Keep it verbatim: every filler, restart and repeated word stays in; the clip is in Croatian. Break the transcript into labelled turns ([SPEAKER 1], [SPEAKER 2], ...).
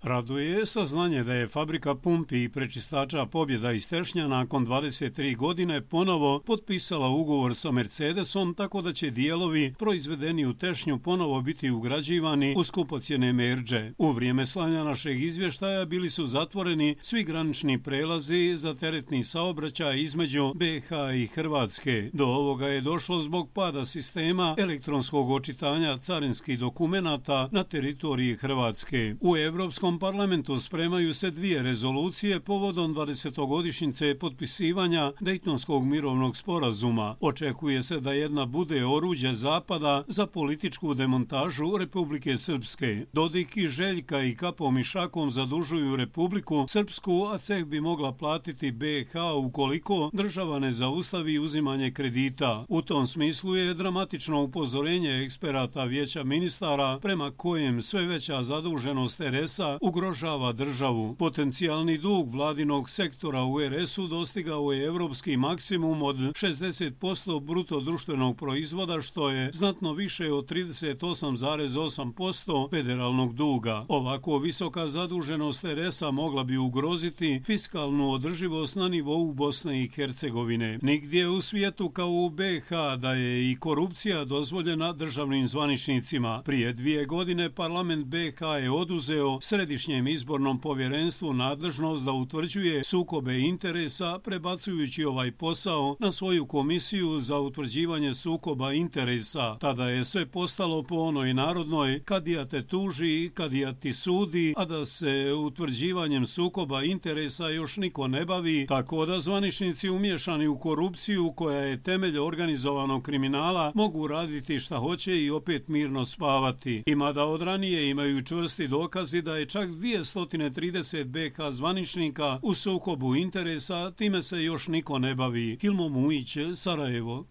[SPEAKER 1] Raduje saznanje da je fabrika pumpi i prečistača Pobjeda iz Tešnja nakon dvadeset tri godine ponovo potpisala ugovor sa Mercedesom, tako da će dijelovi proizvedeni u Tešnju ponovo biti ugrađivani u skupocjene merdže. U vrijeme slanja našeg izvještaja bili su zatvoreni svi granični prelazi za teretni saobraćaj između B H i Hrvatske. Do ovoga je došlo zbog pada sistema elektronskog očitanja carinskih dokumenata na teritoriji Hrvatske. U Evropskom parlamentu spremaju se dvije rezolucije povodom dvadesetogodišnjice potpisivanja Dejtonskog mirovnog sporazuma. Očekuje se da jedna bude oruđe Zapada za političku demontažu Republike Srpske. Dodik i Željka i kapom i šakom zadužuju Republiku Srpsku, a ceh bi mogla platiti B H ukoliko država ne zaustavi uzimanje kredita. U tom smislu je dramatično upozorenje eksperata Vijeća ministara prema kojem sve veća zaduženost R S-a ugrožava državu. Potencijalni dug vladinog sektora u R S-u dostigao je evropski maksimum od šezdeset posto bruto društvenog proizvoda, što je znatno više od trideset osam zarez osam posto federalnog duga. Ovako visoka zaduženost R S-a mogla bi ugroziti fiskalnu održivost na nivou Bosne i Hercegovine. Nigdje u svijetu kao u B H da je i korupcija dozvoljena državnim zvaničnicima. Prije dvije godine parlament B H je oduzeo Središnjem izbornom povjerenstvu nadležnost da utvrđuje sukobe interesa, prebacujući ovaj posao na svoju komisiju za utvrđivanje sukoba interesa. Tada je sve postalo po onoj narodnoj kadija te tuži, kadija ti sudi, a da se utvrđivanjem sukoba interesa još niko ne bavi, tako da zvaničnici umiješani u korupciju koja je temelj organizovanog kriminala mogu raditi šta hoće i opet mirno spavati. Ima da od ranije imaju čvrsti dokazi da je čak dvjesto trideset B H zvaničnika u sukobu interesa, time se još niko ne bavi. Hilmo Mujić, Sarajevo.